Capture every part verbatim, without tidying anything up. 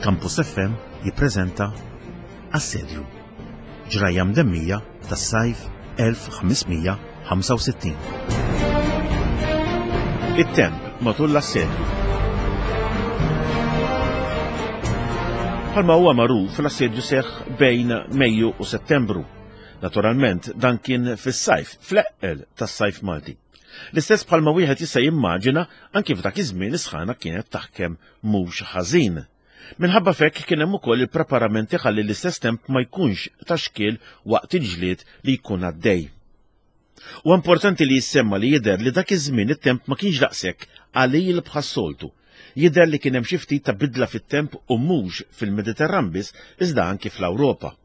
Campus F M jippreżenta Assedju, ġrajja mdemmija tas-sajf elf ħames mija ħamsa u sittin. It-temp matul l-assedju. Bħalma huwa magħruf, l-assedju seħħ bejn Mejju u Settembru. Naturalment, dan kien fis-sajf, fl-eqqel tas-sajf Malti. L-istess bħalma wieħed jista' jimmaġina, anki f'dak iż-żmien is-sħana kienet taħkem mhux ħażin. Minħabba fekk kien hemm ukoll il-preparamenti ħalli l-istess temp ma jkunx ta' xkiel waqt il-ġlied li jkun għaddej. U importanti li jissemma li jidher li dak iż-żmien it-temp ma kienx daqshekk qalil bħas-soltu. Jidher li kien hemm xi ftit ta' bidla fit-temp u mhux fil-Mediterran biss iżda anki fl-Ewropa.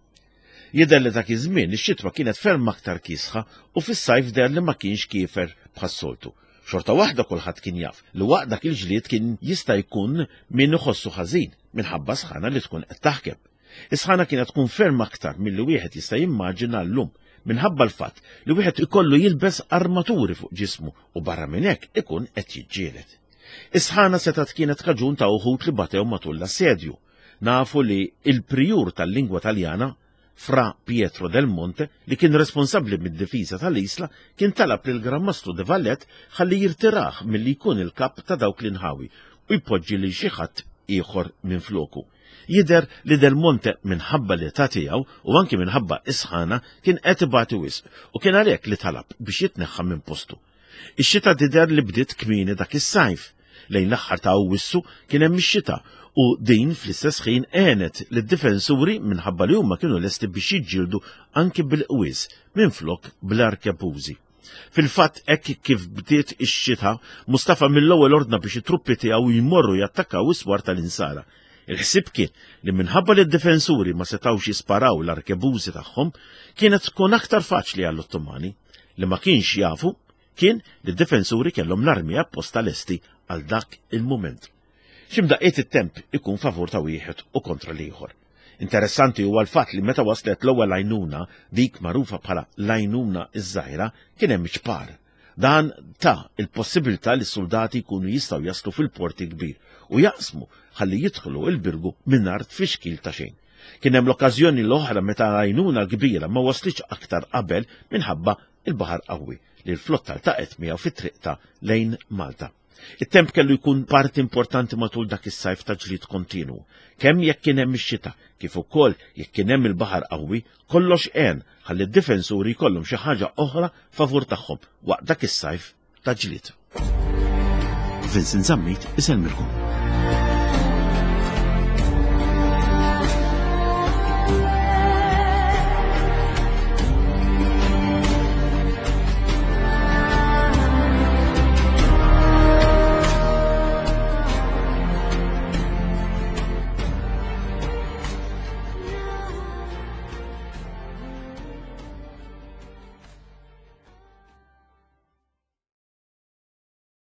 Jidher li dak iż-żmien ix-xitwa kienet ferm aktar kiesħa u fis-sajf deher li ma kienx kiefer bħas-soltu. Xorta waħda kulħadd kien jaf li waqt dak il-ġlied kien jista' jkun min iħossu ħażin minħabba sħana li tkun qed taħkem. Is-sħana kienet tkun ferm aktar milli wieħed jista' jimmaġina llum minħabba l-fatt li wieħed ikollu jilbes armaturi fuq ġismu u barra minn hekk ikun qed jiġġieled. Is-sħana setgħet kienet kaġun ta' uħud li batew matul l-assedju. Nafu li il-prijur tal-lingwa Taljana, Fra Pietro del Monte, li kien responsabbli mid-difiża tal-Isla, kien talab lil Gran Mastru de Valette ħalli jirtiraħ milli jkun il-kap ta' dawk l-inħawi u jpoġġi lil xi ħadd ieħor minn floku. Jidher li Del Monte minħabba l-età tiegħu u anki minħabba is-sħana kien qed ibati wisq u kien għalhekk li talab biex jitneħħa minn postu. Ix-xita tidher li bdiet kmieni dak is-sajf. Lejn l-aħħar ta' Awwissu kien hemm ix-xita u din fl-istess ħin għenet lid-difensuri minħabba li huma kienu lesti biex jiġġieldu anki bil-qwies minflok bl-arkebużi. Fil-fatt hekk kif bdiet ix-xita, Mustafa mill-ewwel ordna biex it-truppi tiegħu jmorru jattakkaw is-swar tal-Insara. Il-ħsieb kien li minħabba li d-difensuri ma setgħux jisparaw l-arkebużi tagħhom, kienet tkun aktar faċli għall-Ottomani. Li ma kienx jafu kien li d-difensuri kellhom l-armi apposta lesti għal dak il-mument. X'imdaqqiet it-temp ikun favur ta' wieħed u kontra l-ieħor. Interessanti huwa l-fatt li meta waslet l-ewwel għajnuna, dik magħrufa bħala l-għajnuna iż-żgħira, kien hemm ċpar. Dan ta' il-possibilità li s-soldati jkunu jistgħu jaslu fil-porti kbir u jaqsmu ħalli jidħlu il-Birgu mingħajr tfixkil ta' xejn. Kien hemm l-okkażjoni l-oħra meta l-għajnuna l-kbira ma waslitx aktar qabel minħabba il-baħar qawwi li l-flotta ltaqgħet miegħu fit-triqta lejn Malta. It-temp kellu jkun parti importanti matul dak is-sajf ta' ġlied kontinu. Kemm jekk kien hemm ix-xita, kif ukoll jekk kien hemm il-baħar qawwi, kollox għen ħalli d-difensuri jkollhom xi ħaġa oħra favur tagħhom waqt dak is-sajf ta' ġlied. Vincent Zammit isellmilkom.